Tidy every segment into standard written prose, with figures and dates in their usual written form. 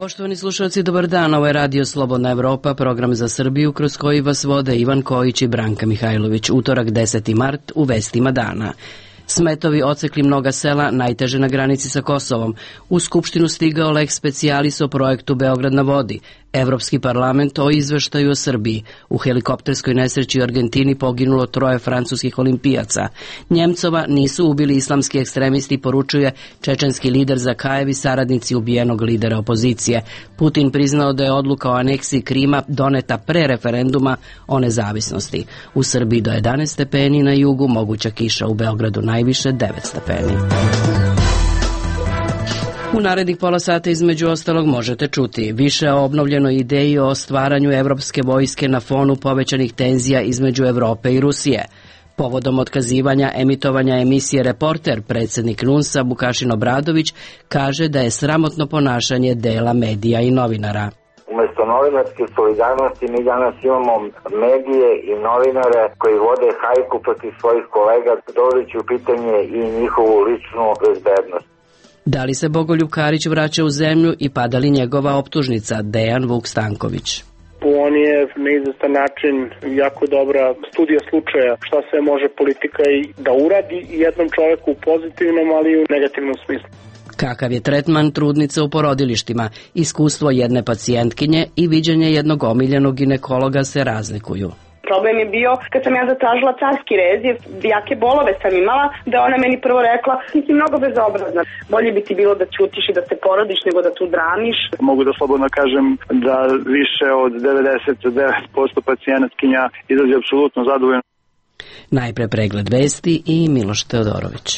Poštovani slušalci, dobar dan. Ovo je Radio Slobodna Evropa, program za Srbiju kroz koji vas vode Ivan Kojić i Branka Mihajlović. Utorak 10. mart u vestima dana. Smetovi ocekli mnoga sela, najteže na granici sa Kosovom. U Skupštinu stigao lex specialis o projektu Beograd na vodi. Evropski parlament o izveštaju o Srbiji. U helikopterskoj nesreći u Argentini poginulo 3 francuskih olimpijaca. Njemcova nisu ubili islamski ekstremisti, poručuje čečenski lider Zakajev i saradnici ubijenog lidera opozicije. Putin priznao da je odluka o aneksiji Krima doneta pre referenduma o nezavisnosti. U Srbiji do 11 stepeni, na jugu moguća kiša, u Beogradu najviše 9 stepeni. U narednih pola sata između ostalog možete čuti više o obnovljenoj ideji o stvaranju evropske vojske na fonu povećanih tenzija između Evrope i Rusije. Povodom otkazivanja emitovanja emisije Reporter, predsjednik NUNS-a Vukašin Obradović kaže da je sramotno ponašanje dela medija i novinara. Umesto novinarske solidarnosti mi danas imamo medije i novinare koji vode hajku protiv svojih kolega, dovodeći u pitanje i njihovu ličnu bezbednost. Da li se Bogoljub Karić vraća u zemlju i pada li njegova optužnica, Dejan Vuk Stanković? On je na izvestan način jako dobra studija slučaja šta sve može politika i da uradi jednom čoveku u pozitivnom, ali i u negativnom smislu. Kakav je tretman trudnica u porodilištima? Iskustvo jedne pacijentkinje i viđenje jednog omiljenog ginekologa se razlikuju. Problem je bio kad sam ja zatražila carski rez, jer jake bolove sam imala, da ona meni prvo rekla, ti si mnogo bezobrazna. Bolje bi ti bilo da ćutiš i da se porodiš nego da tu dramiš. Mogu da slobodno kažem da više od 99% pacijentkinja izađe apsolutno zadovoljno. Najpre pregled vesti i Miloš Teodorović.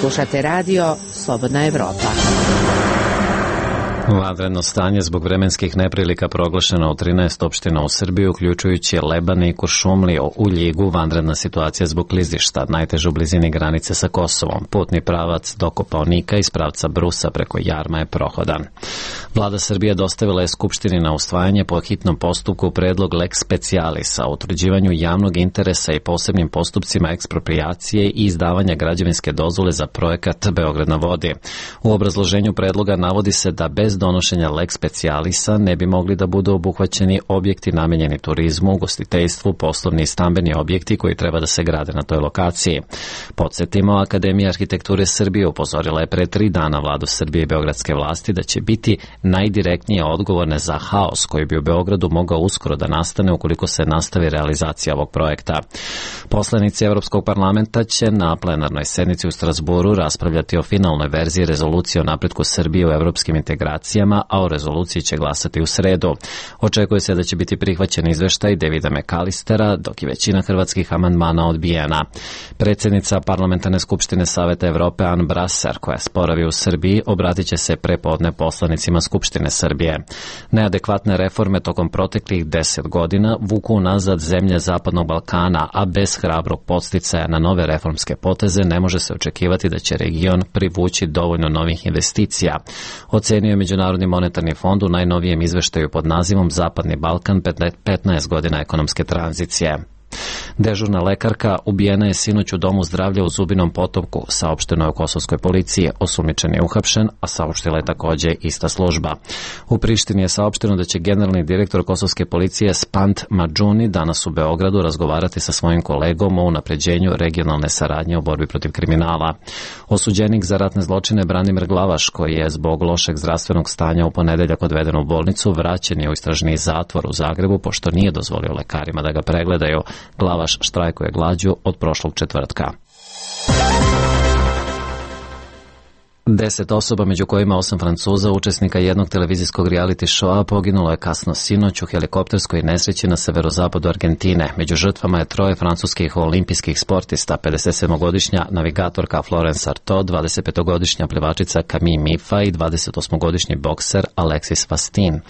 Slušate radio Slobodna Evropa. Vanredno stanje zbog vremenskih neprilika proglašeno u 13 opština u Srbiji, uključujući Lebane i Kuršumliju. U Ljigu vanredna situacija zbog klizišta, najteže u blizini granice sa Kosovom. Putni pravac do Kopaonika iz pravca Brusa preko Jarma je prohodan. Vlada Srbije dostavila je Skupštini na usvajanje po hitnom postupku predlog lex specialisa o utvrđivanju javnog interesa i posebnim postupcima eksproprijacije i izdavanja građevinske dozvole za projekat Beograd na vodi. U obrazloženju predloga navodi se da bez donošenja lex specialisa ne bi mogli da budu obuhvaćeni objekti namenjeni turizmu, ugostiteljstvu, poslovni i stambeni objekti koji treba da se grade na toj lokaciji. Podsjetimo, Akademija arhitekture Srbije upozorila je pre 3 dana Vladu Srbije i beogradske vlasti da će biti najdirektnije odgovorne za haos koji bi u Beogradu mogao uskoro da nastane ukoliko se nastavi realizacija ovog projekta. Poslanici Evropskog parlamenta će na plenarnoj sednici u Strasburu raspravljati o finalnoj verziji rezolucije o napretku Srbije u evropskim integracijama, a o rezoluciji će glasati u sredu. Očekuje se da će biti prihvaćen izveštaj Davida McAllistera, dok je većina hrvatskih amandmana odbijena. Predsjednica Parlamentarne skupštine Saveta Evrope Ann Brasser, koja sporavi u Srbiji, obratit će se prepodne poslanicima Skupštine Srbije. Neadekvatne reforme tokom proteklih 10 godina vuku nazad zemlje Zapadnog Balkana, a bez hrabrog podsticaja na nove reformske poteze ne može se očekivati da će region privući dovoljno novih investicija. Ocenio je Međunarodni monetarni fond u najnovijem izveštaju pod nazivom Zapadni Balkan 15 godina ekonomske tranzicije. Dežurna lekarka ubijena je sinoć u domu zdravlja u Zubinom Potoku, saopšteno je u kosovskoj policiji. Osumnjičen je uhapšen, a saopštila je takođe ista služba. U Prištini je saopšteno da će generalni direktor kosovske policije Spant Madžuni danas u Beogradu razgovarati sa svojim kolegom o unapređenju regionalne saradnje u borbi protiv kriminala. Osuđenik za ratne zločine Branimir Glavaš, koji je zbog lošeg zdravstvenog stanja u ponedeljak odveden u bolnicu, vraćen je u istražni zatvor u Zagrebu pošto nije dozvolio lekarima da ga pregledaju. Glavaš štrajkuje glađu od prošlog četvrtka. 10 osoba, među kojima 8 Francuza, učesnika jednog televizijskog reality showa, poginulo je kasno sinoć u helikopterskoj nesreći na severozapadu Argentine. Među žrtvama je 3 francuskih olimpijskih sportista, 57-godišnja navigatorka Florence Artaud, 25-godišnja plivačica Camille Mifa i 28-godišnji bokser Alexis Vastin.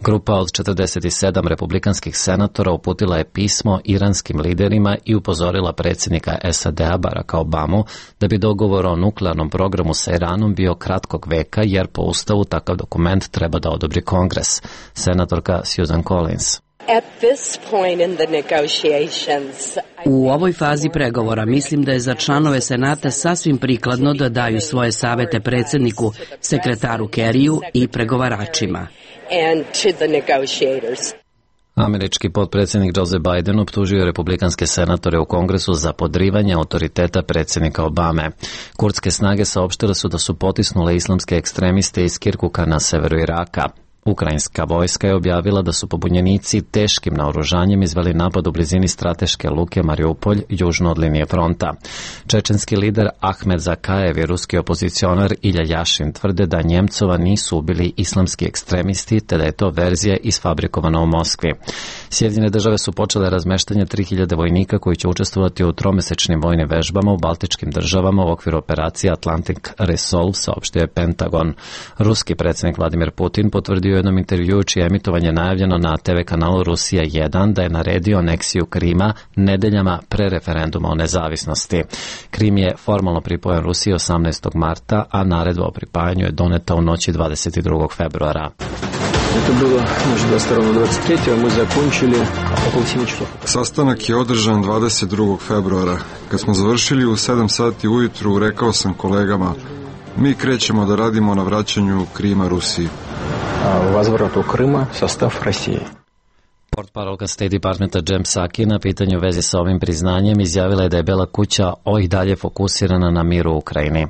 Grupa od 47 republikanskih senatora uputila je pismo iranskim liderima i upozorila predsjednika SAD-a Baracka Obamu da bi dogovor o nuklearnom programu sa Iranom bio kratkog veka, jer po ustavu takav dokument treba da odobri Kongres. Senatorka Susan Collins. U ovoj fazi pregovora mislim da je za članove Senata sasvim prikladno da daju svoje savete predsjedniku, sekretaru Kerriju i pregovaračima. Američki potpredsjednik Joe Biden optužio republikanske senatore u Kongresu za podrivanje autoriteta predsjednika Obame. Kurdske snage saopštile su da su potisnule islamske ekstremiste iz Kirkuka na severu Iraka. Ukrajinska vojska je objavila da su pobunjenici teškim naoružanjem izveli napad u blizini strateške luke Mariupolj, južno od linije fronta. Čečenski lider Ahmed Zakajev i ruski opozicionar Ilja Jašin tvrde da Njemcova nisu ubili islamski ekstremisti, te da je to verzija isfabrikovana u Moskvi. Sjedinjene države su počele razmeštanje 3000 vojnika koji će učestvovati u tromesečnim vojnim vežbama u baltičkim državama u okviru operacije Atlantic Resolve, saopštio je Pentagon. Ruski predsjednik Vladimir Putin potvrdio u jednom intervjuu čije emitovanje najavljeno na TV kanalu Rusija 1 da je naredio aneksiju Krima nedeljama pre referenduma o nezavisnosti. Krim je formalno pripojen Rusiji 18. marta, a naredba o pripajanju je doneta u noći 22. februara. Sastanak je održan 22. februara. Kad smo završili u 7 sati ujutru, rekao sam kolegama, mi krećemo da radimo na vraćanju Krima Rusiji. Возврату Крыма в состав России. Portparolka State Departmenta Jem Psaki na pitanju u vezi sa ovim priznanjem izjavila je da je Bela kuća i dalje fokusirana na mir u Ukrajini.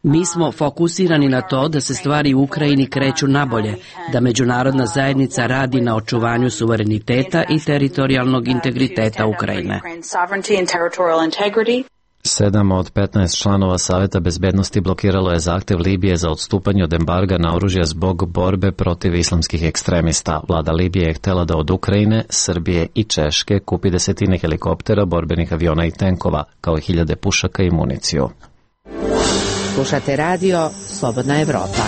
Mi smo fokusirani na to da se stvari u Ukrajini kreću nabolje, da međunarodna zajednica radi na očuvanju suvereniteta i teritorijalnog integriteta Ukrajine. 7 od 15 članova Saveta bezbednosti blokiralo je zahtev Libije za odstupanje od embarga na oružje zbog borbe protiv islamskih ekstremista. Vlada Libije je htjela da od Ukrajine, Srbije i Češke kupi desetine helikoptera, borbenih aviona i tenkova, kao i 1000 pušaka i municiju. Slušate radio Slobodna Evropa.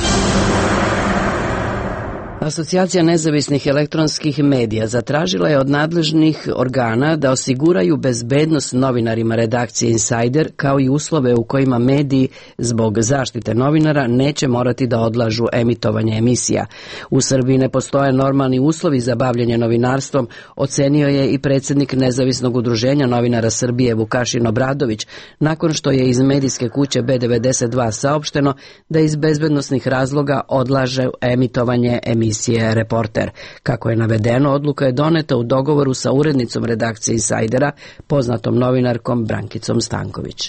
Asocijacija nezavisnih elektronskih medija zatražila je od nadležnih organa da osiguraju bezbednost novinarima redakcije Insider, kao i uslove u kojima mediji zbog zaštite novinara neće morati da odlažu emitovanje emisija. U Srbiji ne postoje normalni uslovi za bavljenje novinarstvom, ocenio je i predsjednik Nezavisnog udruženja novinara Srbije Vukašin Obradović, nakon što je iz medijske kuće B92 saopšteno da iz bezbednosnih razloga odlaže emitovanje emisije Reporter. Kako je navedeno, odluka je doneta u dogovoru sa urednicom redakcije Insajdera, poznatom novinarkom Brankicom Stanković.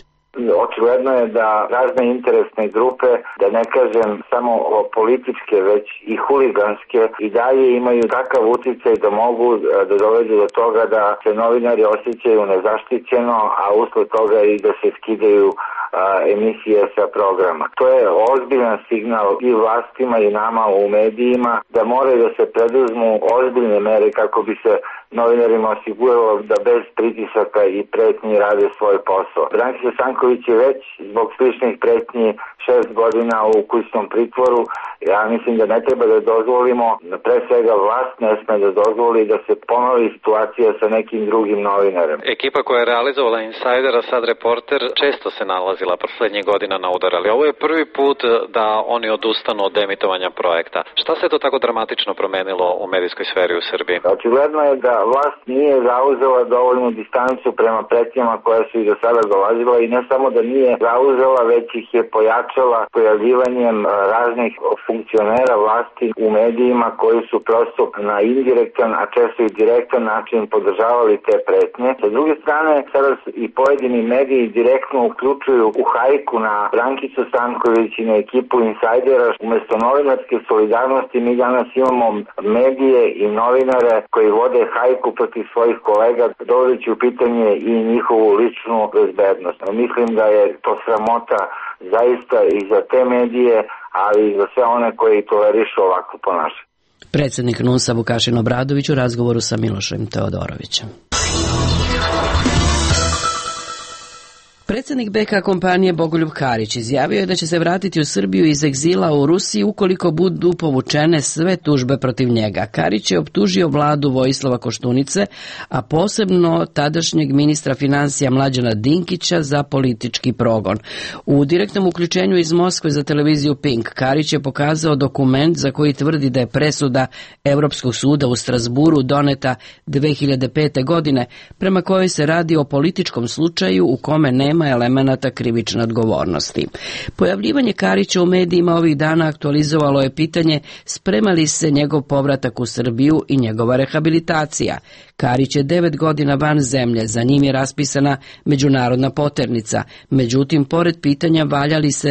Očigledno je da razne interesne grupe, da ne kažem samo političke, već i huliganske, i dalje imaju takav uticaj da mogu da dovedu do toga da se novinari osjećaju nezaštićeno, a usled toga i da se skidaju emisije sa programa. To je ozbiljan signal i vlastima i nama u medijima da moraju da se preduzmu ozbiljne mere kako bi se novinarima osiguralo da bez pritisaka i pretnji rade svoj posao. Brankica Stanković je već zbog sličnih pretnji 6 godina u kućnom pritvoru. Ja mislim da ne treba da dozvolimo, pre svega vlast ne sme da dozvoli da se ponovi situacija sa nekim drugim novinarem. Ekipa koja je realizovala Insajdera, sad Reporter, često se nalazila poslednjih godina na udar, ali ovo je prvi put da oni odustanu od emitovanja projekta. Šta se to tako dramatično promenilo u medijskoj sferi u Srbiji? Očigledno je da vlast nije zauzela dovoljnu distancu prema pretnjama koja su i do sada dolazila, i ne samo da nije zauzela, već ih je pojačala pojavljivanjem raznih funkcionera vlasti u medijima koji su prosto na indirektan, a često i direktan način podržavali te pretnje. Sa druge strane, sada i pojedini mediji direktno uključuju u hajku na Brankicu Stanković i na ekipu Insajdera. Umesto novinarske solidarnosti mi danas imamo medije i novinare koji vode hajku protiv svojih kolega, dovodeći u pitanje i njihovu ličnu bezbednost. Mislim da je to sramota zaista i za te medije, ali i za sve one koji tolerišu ovako ponašanje. Predsjednik NUNS-a Vukašin Obradović u razgovoru sa Milošem Teodorovićem. Predsjednik BK kompanije Bogoljub Karić izjavio je da će se vratiti u Srbiju iz egzila u Rusiji ukoliko budu povučene sve tužbe protiv njega. Karić je optužio vladu Vojislava Koštunice, a posebno tadašnjeg ministra financija Mlađana Dinkića za politički progon. U direktnom uključenju iz Moskve za televiziju Pink, Karić je pokazao dokument za koji tvrdi da je presuda Europskog suda u Strasburu doneta 2005. godine, prema kojoj se radi o političkom slučaju u kome nema elemenata krivične odgovornosti. Pojavljivanje Karića u medijima ovih dana aktualizovalo je pitanje sprema li se njegov povratak u Srbiju i njegova rehabilitacija. Karić je 9 godina van zemlje, za njim je raspisana međunarodna poternica. Međutim, pored pitanja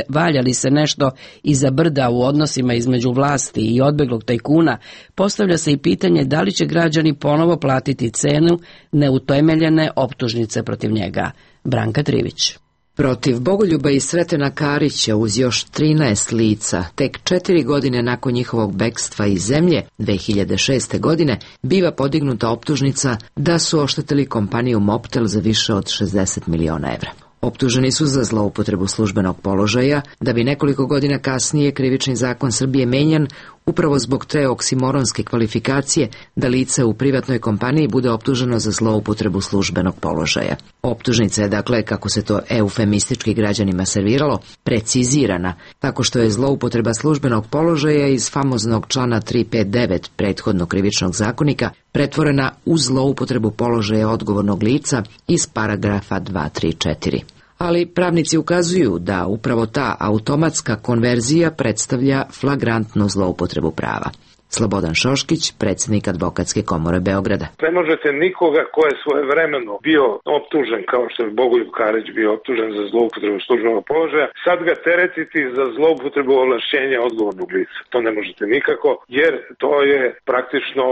valja li se nešto iza brda u odnosima između vlasti i odbeglog tajkuna, postavlja se i pitanje da li će građani ponovo platiti cenu neutemeljene optužnice protiv njega. Branka Trivić. Protiv Bogoljuba i Sretena Karića uz još 13 lica, tek 4 godine nakon njihovog bekstva iz zemlje, 2006. godine, biva podignuta optužnica da su oštetili kompaniju Mobtel za više od 60 miliona evra. Optuženi su za zloupotrebu službenog položaja, da bi nekoliko godina kasnije krivični zakon Srbije menjan upravo zbog te oksimoronske kvalifikacije da lice u privatnoj kompaniji bude optuženo za zloupotrebu službenog položaja. Optužnica je, dakle, kako se to eufemistički građanima serviralo, precizirana, tako što je zloupotreba službenog položaja iz famoznog člana 359 prethodnog krivičnog zakonika pretvorena u zloupotrebu položaja odgovornog lica iz paragrafa 234. Ali pravnici ukazuju da upravo ta automatska konverzija predstavlja flagrantnu zloupotrebu prava. Slobodan Šoškić, predsjednik Advokatske komore Beograda. Ne možete nikoga ko je svojevremeno bio optužen, kao što je Bogoljub Karić bio optužen za zloupotrebu službenog položaja, sad ga teretiti za zloupotrebu ovlašćenja odgovornog lica. To ne možete nikako, jer to je praktično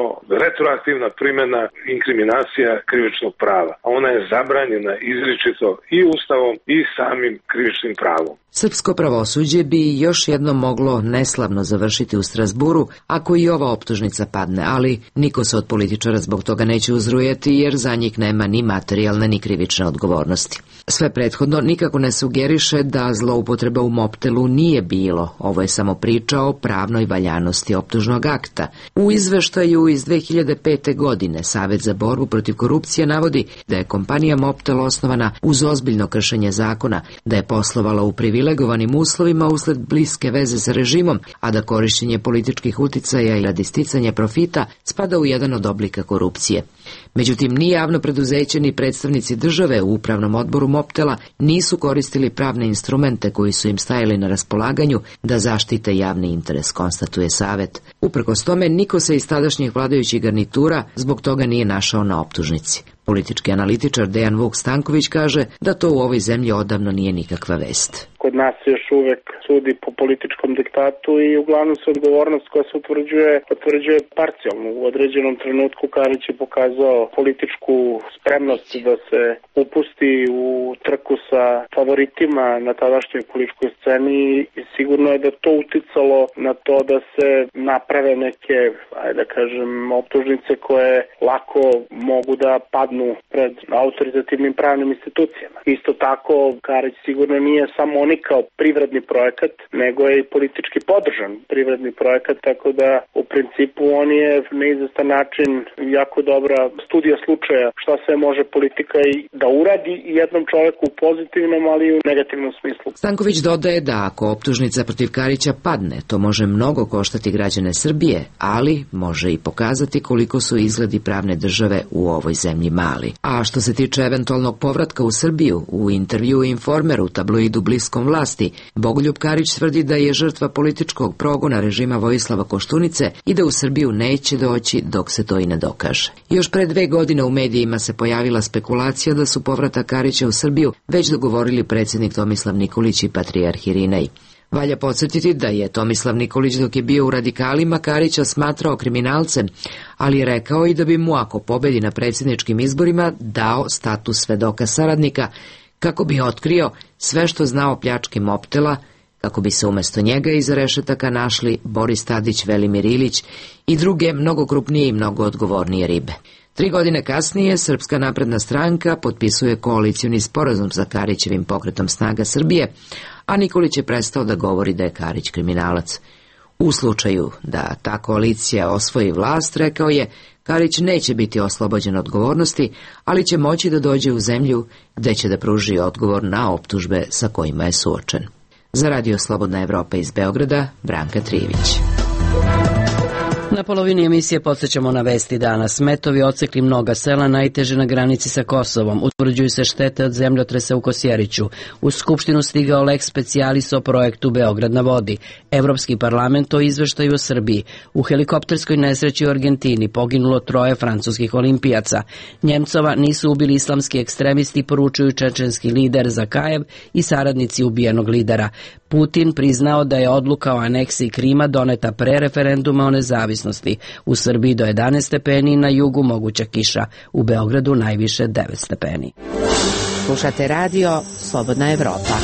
retroaktivna primjena inkriminacija krivičnog prava. A ona je zabranjena izričito i Ustavom i samim krivičnim pravom. Srpsko pravosuđe bi još jednom moglo neslavno završiti u Strasburu ako i ova optužnica padne, ali niko se od političara zbog toga neće uzrujeti jer za njih nema ni materijalne ni krivične odgovornosti. Sve prethodno nikako ne sugeriše da zloupotreba u Mobtelu nije bilo, ovo je samo priča o pravnoj valjanosti optužnog akta. U izveštaju iz 2005. godine Savet za borbu protiv korupcije navodi da je kompanija Mobtel osnovana uz ozbiljno kršenje zakona, da je poslovala u privilegovanim uslovima usled bliske veze sa režimom, a da korišćenje političkih uticaja i radi sticanja profita spada u jedan od oblika korupcije. Međutim, ni javno preduzeće ni predstavnici države u upravnom odboru Mobtela nisu koristili pravne instrumente koji su im stajali na raspolaganju da zaštite javni interes, konstatuje Savet. Uprkos tome, niko se iz tadašnjih vladajućih garnitura zbog toga nije našao na optužnici. Politički analitičar Dejan Vuk Stanković kaže da to u ovoj zemlji odavno nije nikakva vest. Kod nas se još uvek sudi po političkom diktatu i uglavnom se odgovornost koja se utvrđuje parcijalno. U određenom trenutku Karić je pokazao političku spremnost da se upusti u trku sa favoritima na tadašnjoj političkoj sceni i sigurno je da to uticalo na to da se naprave neke, optužnice koje lako mogu da padnu pred autoritativnim pravnim institucijama. Isto tako, Karić sigurno nije samo kao privredni projekat, nego je i politički podržan privredni projekat, tako da u principu on je na izvestan način jako dobra studija slučaja šta sve može politika i da uradi jednom čoveku u pozitivnom, ali i u negativnom smislu. Stanković dodaje da ako optužnica protiv Karića padne, to može mnogo koštati građane Srbije, ali može i pokazati koliko su izgledi pravne države u ovoj zemlji mali. A što se tiče eventualnog povratka u Srbiju, u intervju Informeru, tabloidu bliskom vlasti, Bogoljub Karić tvrdi da je žrtva političkog progona režima Vojislava Koštunice i da u Srbiju neće doći dok se to i ne dokaže. Još pre 2 godine u medijima se pojavila spekulacija da su povratak Karića u Srbiju već dogovorili predsjednik Tomislav Nikolić i patrijarh Irinej. Valja podsjetiti da je Tomislav Nikolić dok je bio u radikalima Karića smatrao kriminalcem, ali je rekao i da bi mu ako pobedi na predsjedničkim izborima dao status svedoka saradnika kako bi otkrio sve što zna o pljački Mobtela, kako bi se umjesto njega iza rešetaka našli Boris Tadić, Velimir Ilić i druge mnogo krupnije i mnogo odgovornije ribe. 3 godine kasnije Srpska napredna stranka potpisuje koalicioni sporazum sa Karićevim pokretom Snaga Srbije, a Nikolić je prestao da govori da je Karić kriminalac. U slučaju da ta koalicija osvoji vlast, rekao je, Karić neće biti oslobođen odgovornosti, ali će moći da dođe u zemlju gde će da pruži odgovor na optužbe sa kojima je suočen. Za Radio Slobodna Evropa iz Beograda, Branka Trijević. Na polovini emisije podsjećamo na vesti dana. Smetovi odsekli mnoga sela, najteže na granici sa Kosovom. Utvrđuju se štete od zemljotresa u Kosjeriću. U Skupštinu stigao lex specialis o projektu Beograd na vodi. Evropski parlament o izveštaju o Srbiji. U helikopterskoj nesreći u Argentini poginulo 3 francuskih olimpijaca. Njemcova nisu ubili islamski ekstremisti, poručuju čečenski lider Zakajev i saradnici ubijenog lidera. Putin priznao da je odluka o aneksiji Krima doneta pre referenduma o nezavisnosti. U Srbiji do 11 stepeni, na jugu moguća kiša. U Beogradu najviše 9 stepeni. Slušate radio Slobodna Evropa.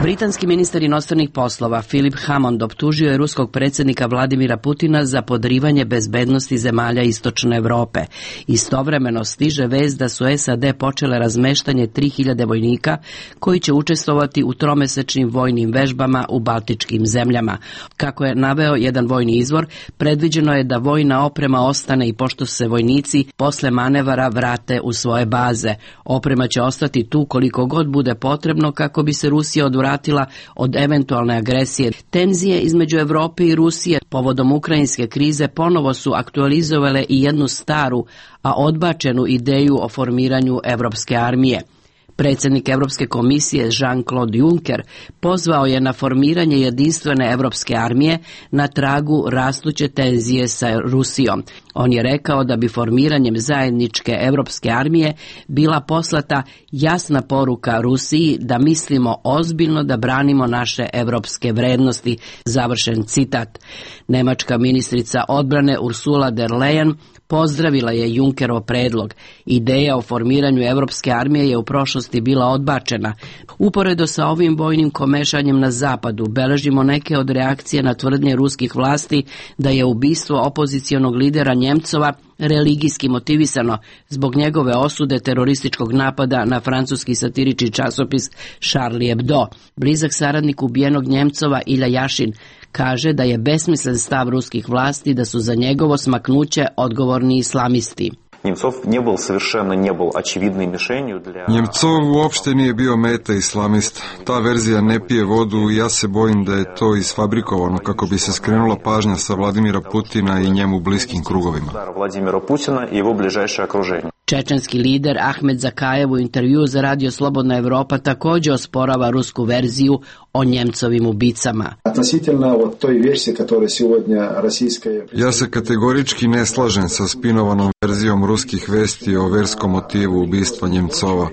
Britanski ministar inostranih poslova Philip Hammond optužio je ruskog predsjednika Vladimira Putina za podrivanje bezbednosti zemalja Istočne Evrope. Istovremeno stiže vest da su SAD počele razmeštanje 3000 vojnika koji će učestvovati u tromesečnim vojnim vežbama u baltičkim zemljama. Kako je naveo jedan vojni izvor, predviđeno je da vojna oprema ostane i pošto se vojnici posle manevara vrate u svoje baze. Oprema će ostati tu koliko god bude potrebno kako bi se Rusija odvratila od eventualne agresije. Tenzije između Evrope i Rusije povodom ukrajinske krize ponovo su aktualizovale i jednu staru, a odbačenu ideju o formiranju Evropske armije. Predsjednik Evropske komisije Jean-Claude Juncker pozvao je na formiranje jedinstvene Evropske armije na tragu rastuće tenzije sa Rusijom. On je rekao da bi formiranjem zajedničke Evropske armije bila poslata jasna poruka Rusiji da mislimo ozbiljno da branimo naše evropske vrednosti. Završen citat. Nemačka ministrica odbrane Ursula der Leyen pozdravila je Junckerov predlog. Ideja o formiranju Evropske armije je u prošlosti bila odbačena. Uporedo sa ovim vojnim komešanjem na zapadu beležimo neke od reakcije na tvrdnje ruskih vlasti da je ubistvo opozicionog lidera Njemcova religijski motivisano zbog njegove osude terorističkog napada na francuski satirički časopis Charlie Hebdo. Blizak saradnik ubijenog Njemcova Ilja Jašin kaže da je besmislen stav ruskih vlasti da su za njegovo smaknuće odgovorni islamisti. Njemcov uopšte nije bio meta islamista. Ta verzija ne pije vodu i ja se bojim da je to isfabrikovano kako bi se skrenula pažnja sa Vladimira Putina i njemu bliskim krugovima. Čečenski lider Ahmed Zakajev u intervju za Radio Slobodna Evropa također osporava rusku verziju o Njemcovim ubicama. Ja se kategorički ne slažem sa spinovanom verzijom ruskih vesti o verskom motivu ubistva Njemcova.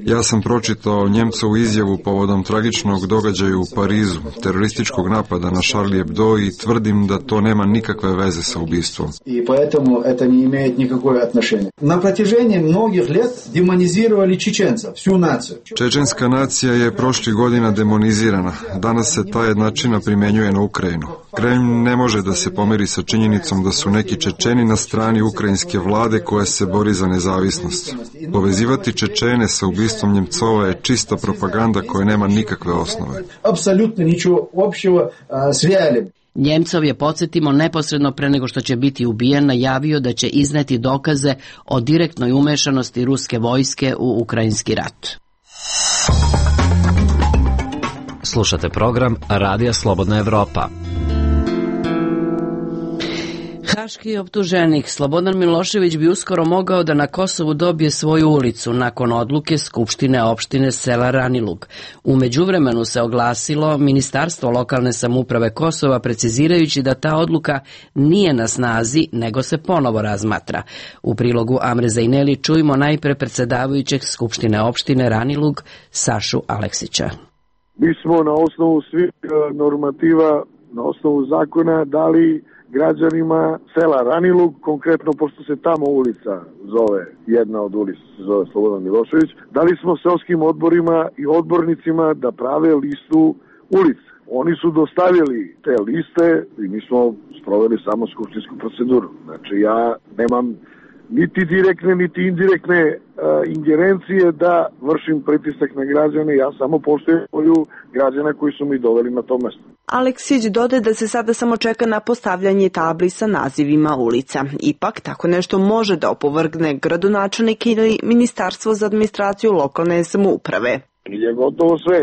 Ja sam pročitao Njemcovu izjavu povodom tragičnog događaja u Parizu, terorističkog napada na Charlie Hebdo i tvrdim da to nema nikakve veze sa ubistvom. I поэтому это не имеет никакое отношение. На протяжении многих лет демонизировали чеченцев, всю нацию. Čečenska nacija je prošlih godina demonizirana. Danas se ta jednačina primjenjuje na Ukrajinu. Kremlj ne može da se pomeri sa činjenicom da su neki Čečeni na strani ukrajinske vlade koja se bori za nezavisnost. Povezivati Čečene sa ubistvom Njemcova je čista propaganda koja nema nikakve osnove. Apsolutno ničego opštega s realnim. Njemcov je, podsjetimo, neposredno pre nego što će biti ubijen, najavio da će izneti dokaze o direktnoj umešanosti ruske vojske u ukrajinski rat. Slušate program Radija Slobodna Evropa. Haški optuženik Slobodan Milošević bi uskoro mogao da na Kosovu dobije svoju ulicu nakon odluke Skupštine opštine sela Ranilug. U međuvremenu se oglasilo Ministarstvo lokalne samouprave Kosova, precizirajući da ta odluka nije na snazi, nego se ponovo razmatra. U prilogu Amre Zajneli čujemo najpre predsjedavajućeg Skupštine opštine Ranilug Sašu Aleksića. Mi smo na osnovu svih normativa, na osnovu zakona dali građanima sela Ranilug, konkretno pošto se tamo ulica zove, jedna od ulica se zove Slobodan Milošević, dali smo seoskim odborima i odbornicima da prave listu ulica. Oni su dostavili te liste i mi smo sproveli samo skupštinsku proceduru. Znači ja nemam niti direktne, niti indirektne ingerencije da vršim pritisak na građane, ja samo poštujem volju građana koji su mi doveli na to mesto. Aleksić dodaje da se sada samo čeka na postavljanje tabli sa nazivima ulica. Ipak, tako nešto može da opovrgne gradonačelnik ili Ministarstvo za administraciju lokalne samouprave. Je gotovo sve.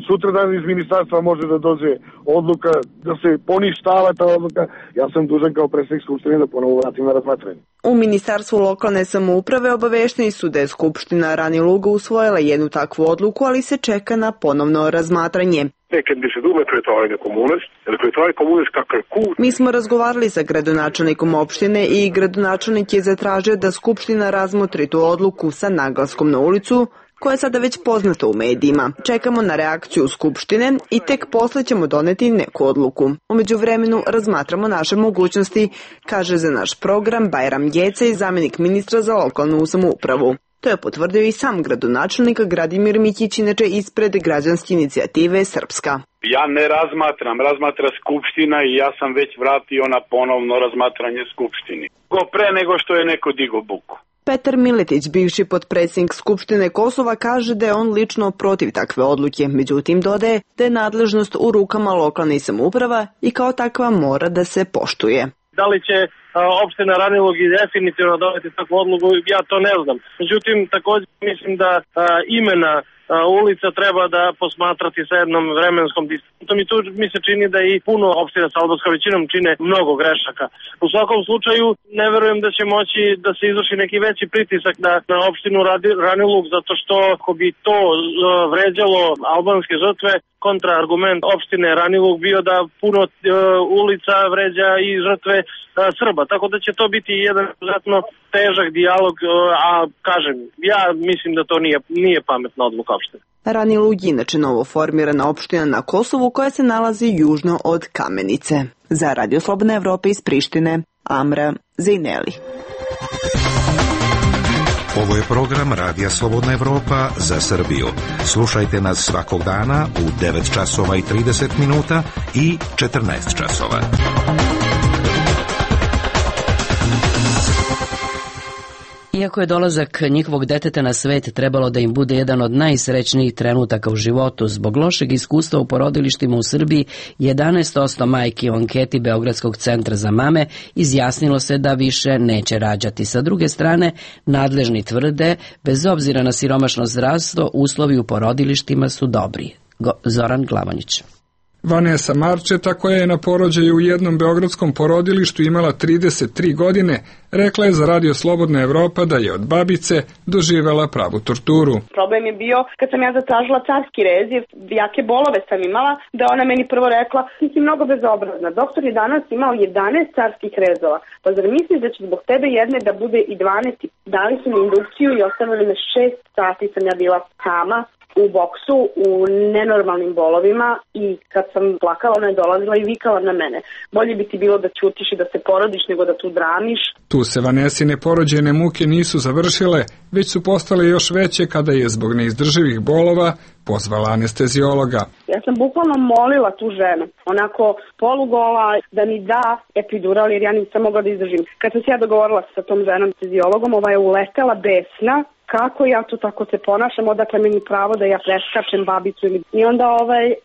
Sutradan iz ministarstva može da dođe odluka da se poništava ta odluka. Ja sam dužan kao predsednik Skupštine da ponovo vratim na razmatranje. U Ministarstvu lokalne samouprave obavešteni su da je Skupština Rani Luga usvojila jednu takvu odluku, ali se čeka na ponovno razmatranje. Mi smo razgovarali sa gradonačelnikom opštine i gradonačelnik je zatražio da Skupština razmotri tu odluku sa naglaskom na ulicu, koja je sada već poznata u medijima. Čekamo na reakciju Skupštine i tek posle ćemo doneti neku odluku. U međuvremenu razmatramo naše mogućnosti, kaže za naš program Bajram Gecaj, zamjenik ministra za lokalnu samoupravu. To je potvrdio i sam gradonačelnik Gradimir Mićić, inače ispred građanske inicijative Srpska. Ja ne razmatram, razmatra Skupština i ja sam već vratio na ponovno razmatranje Skupštini. Pre nego što je neko digo buku. Petar Miletić, bivši potpredsjednik Skupštine Kosova, kaže da je on lično protiv takve odluke, međutim dodaje da je nadležnost u rukama lokalnih samouprava i kao takva mora da se poštuje. Da li će opština Ranilug i definitivno doneti takvu odluku, ja to ne znam. Međutim, također mislim da imena ulica treba da posmatrati sa jednom vremenskom distantom i tu mi se čini da i puno opština sa albanskom većinom čine mnogo grešaka. U svakom slučaju ne verujem da će moći da se izvrši neki veći pritisak na opštinu Ranilug, zato što ako bi to vređalo albanske žrtve, kontraargument opštine Ranilug bio da puno ulica vređa i žrtve Srba. Tako da će to biti jedan izuzetno težak dijalog, a kažem, ja mislim da to nije pametna odluka opštine. Ranilug je inače novo formirana opština na Kosovu koja se nalazi južno od Kamenice. Za Radio Slobodna Evropa iz Prištine, Amra Zejneli. Ovo je program Radija Slobodna Evropa za Srbiju. Slušajte nas svakog dana u 9 časova i 30 minuta i 14 časova. Iako je dolazak njihovog deteta na svet trebalo da im bude jedan od najsrećnijih trenutaka u životu, zbog lošeg iskustva u porodilištima u Srbiji, 11% majki u anketi Beogradskog centra za mame izjasnilo se da više neće rađati. Sa druge strane, nadležni tvrde, bez obzira na siromašno zdravstvo, uslovi u porodilištima su dobri. Zoran Glavanić. Vanesa Marčeta, koja je na porođaju u jednom beogradskom porodilištu imala 33 godine, rekla je za Radio Slobodna Evropa da je od babice doživela pravu torturu. Problem je bio kad sam ja zatražila carski rez, jer jake bolove sam imala, da ona meni prvo rekla, ti si mnogo bezobrazna. Doktor je danas imao 11 carskih rezova, pa zar misliš da će zbog tebe jedne da bude i 12? Dali su mi indukciju i ostavili me 6 sati sam ja bila sama u boksu, u nenormalnim bolovima i kad sam plakala, ona je dolazila i vikala na mene. Bolje bi ti bilo da ćutiš i da se porodiš nego da tu dramiš. Tu se Vanesine porođajne muke nisu završile, već su postale još veće kada je zbog neizdrživih bolova pozvala anesteziologa. Ja sam bukvalno molila tu ženu, onako polugola, da mi da epidural jer ja nisam mogla da izdržim. Kad sam se ja dogovorila sa tom ženom anesteziologom, ova je uletela besna. Kako ja tu tako se ponašam, odakle meni pravo da ja preskačem babicu i onda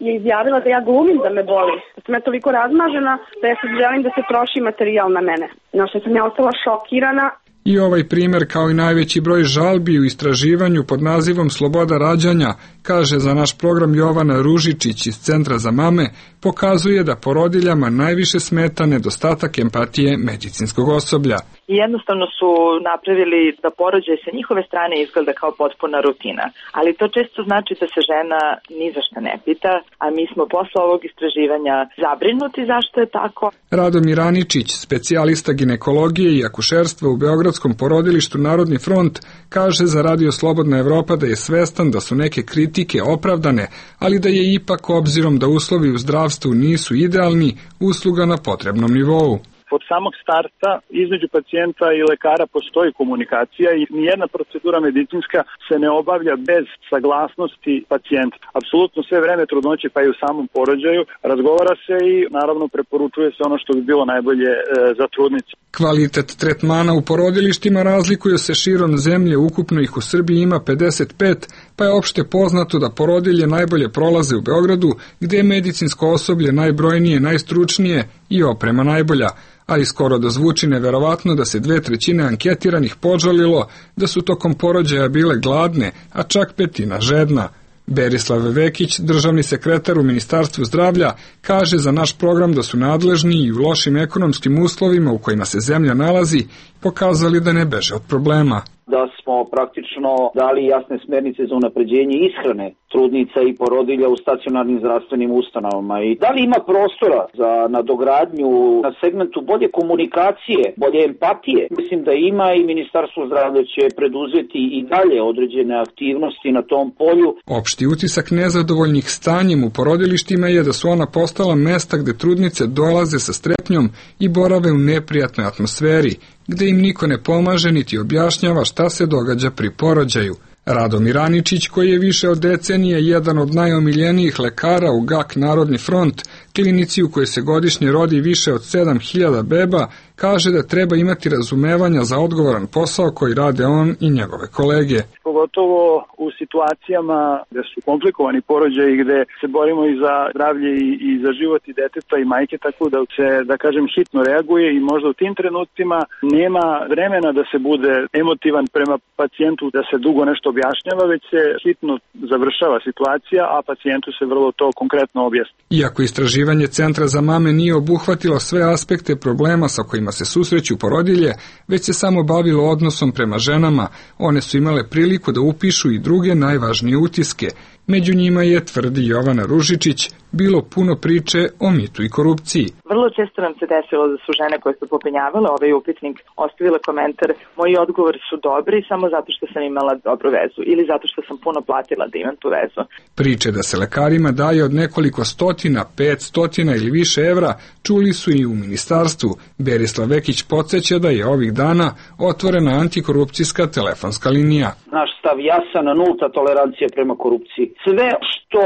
je izjavila da ja glumim da me boli. Da sam ja toliko razmažena da ja sad želim da se troši materijal na mene. Na što sam ja ostala šokirana. I ovaj primjer, kao i najveći broj žalbi u istraživanju pod nazivom Sloboda rađanja, kaže za naš program Jovana Ružičić iz Centra za mame, pokazuje da porodiljama najviše smeta nedostatak empatije medicinskog osoblja. I jednostavno su napravili da porođaj sa njihove strane izgleda kao potpuna rutina. Ali to često znači da se žena ni za šta ne pita, a mi smo posle ovog istraživanja zabrinuti zašto je tako. Radomir Aničić, specijalista ginekologije i akušerstva u Beogradskom porodilištu Narodni front, kaže za Radio Slobodna Evropa da je svestan da su neke kritike opravdane, ali da je ipak, obzirom da uslovi u zdravstvu nisu idealni, usluga na potrebnom nivou. od samog starta između pacijenta i lekara postoji komunikacija i nijedna procedura medicinska se ne obavlja bez saglasnosti pacijenta. Apsolutno sve vreme trudnoće pa i u samom porođaju razgovara se i naravno preporučuje se ono što bi bilo najbolje za trudnicu. Kvalitet tretmana u porodilištima razlikuje se širom zemlje, ukupno ih u Srbiji ima 55, pa je opšte poznato da porodilje najbolje prolaze u Beogradu, gde je medicinsko osoblje najbrojnije, najstručnije i oprema najbolja, ali skoro da zvuči neverovatno da se 2/3 anketiranih požalilo da su tokom porođaja bile gladne, a čak 1/5 žedna. Berislav Vekić, državni sekretar u Ministarstvu zdravlja, kaže za naš program da su nadležni i u lošim ekonomskim uslovima u kojima se zemlja nalazi pokazali da ne beže od problema. Da smo praktično dali jasne smernice za unapređenje ishrane trudnica i porodilja u stacionarnim zdravstvenim ustanovama. I da li ima prostora za nadogradnju na segmentu bolje komunikacije, bolje empatije? Mislim da ima i Ministarstvo zdravlja će preduzeti i dalje određene aktivnosti na tom polju. Opšti utisak nezadovoljnih stanjem u porodilištima je da su ona postala mesta gde trudnice dolaze sa strepnjom i borave u neprijatnoj atmosferi, gde im niko ne pomaže niti objašnjava šta se događa pri porođaju. Radomir Aničić, koji je više od decenije jedan od najomiljenijih lekara u GAK Narodni front, klinici u kojoj se godišnje rodi više od 7000 beba, kaže da treba imati razumevanja za odgovoran posao koji rade on i njegove kolege. Pogotovo u situacijama gde su komplikovani porođaji, gde se borimo i za zdravlje i za život i deteta i majke, tako da se, da kažem, hitno reaguje i možda u tim trenucima nema vremena da se bude emotivan prema pacijentu, da se dugo nešto objašnjava, već se hitno završava situacija, a pacijentu se vrlo to konkretno objasni. Iako istraživanje Centra za mame nije obuhvatilo sve aspekte problema sa kojima se susreću porodilje, već se samo bavilo odnosom prema ženama, one su imale priliku da upišu i druge najvažnije utiske. Među njima je, tvrdi Jovana Ružičić, bilo puno priče o mitu i korupciji. Vrlo često nam se desilo da su žene koje su popenjavale ovaj upitnik ostavile komentar: moji odgovori su dobri samo zato što sam imala dobru vezu ili zato što sam puno platila da imam tu vezu. Priče da se lekarima daje od nekoliko stotina, 500 ili više evra čuli su i u ministarstvu. Berislav Vekić podsjeća da je ovih dana otvorena antikorupcijska telefonska linija. Naš stav jasan, nulta tolerancija prema korupciji. Sve što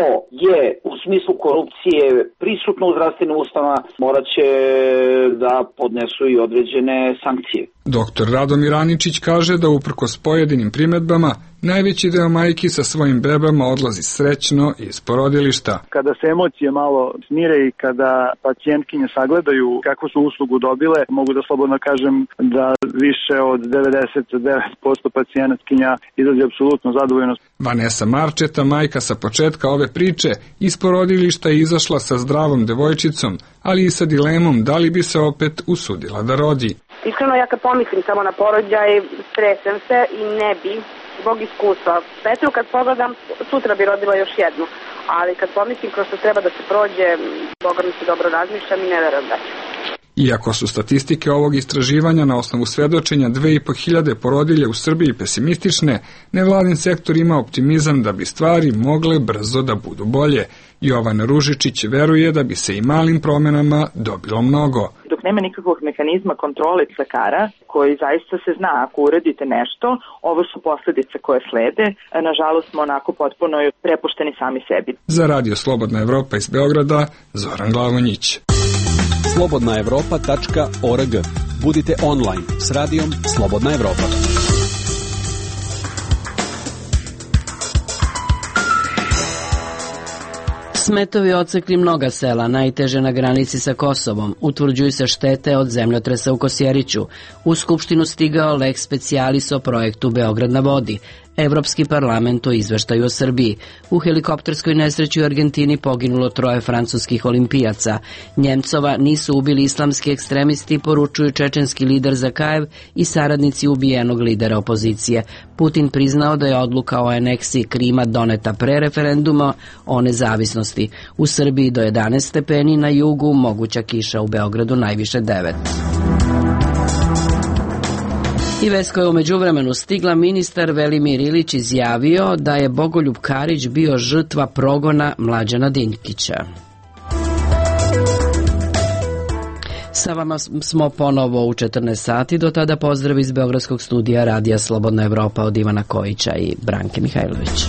je u smislu korupcije prisutno u zdravstvenim ustanovama morat će da podnesu i određene sankcije. Doktor Radomir Aničić kaže da uprkos pojedinim primedbama najveći deo majki sa svojim bebama odlazi srećno iz porodilišta. Kada se emocije malo smire i kada pacijentkinje sagledaju kakvu su uslugu dobile, mogu da slobodno kažem da više od 99% pacijentkinja izlazi apsolutno zadovoljno. Vanessa Marčeta, majka sa početka ove priče, iz porodilišta je izašla sa zdravom devojčicom, ali i sa dilemom da li bi se opet usudila da rodi. Iskreno, ja kad pomislim samo na porođaj, stresem se i ne bi, zbog iskustva. Petru kad pogledam, sutra bi rodila još jednu, ali kad pomislim kroz što treba da se prođe, Boga mi se dobro razmišljam i ne verujem da ću. Iako su statistike ovog istraživanja na osnovu svedočenja 2500 porodilja u Srbiji pesimistične, nevladin sektor ima optimizam da bi stvari mogle brzo da budu bolje. Jovana Ružičić veruje da bi se i malim promenama dobilo mnogo. Dok nema nikakvog mehanizma kontrole lekara, koji zaista se zna, ako uradite nešto, ovo su posledice koje slede, nažalost smo onako potpuno prepušteni sami sebi. Za Radio Slobodna Evropa iz Beograda, Zoran Glavonjić. slobodnaevropa.org. Budite online s radijom Slobodna Evropa. Smetovi odsekli mnoga sela, najteže na granici sa Kosovom. Utvrđuju se štete od zemljotresa u Kosjeriću. U Skupštinu stigao lex specialis o projektu Beograd na vodi. Evropski parlament o izveštaju o Srbiji. U helikopterskoj nesreći u Argentini poginulo 3 francuskih olimpijaca. Njemcova nisu ubili islamski ekstremisti, poručuju čečenski lider Zakajev i saradnici ubijenog lidera opozicije. Putin priznao da je odluka o aneksiji Krima doneta pre referenduma o nezavisnosti. U Srbiji do 11 stepeni, na jugu moguća kiša, u Beogradu najviše 9. I vest koja je u međuvremenu stigla, ministar Velimir Ilić izjavio da je Bogoljub Karić bio žrtva progona Mlađana Dinkića. Sa vama smo ponovo u 14 sati, do tada pozdrav iz Beogradskog studija Radija Slobodna Evropa od Ivana Kojića i Branke Mihajlović.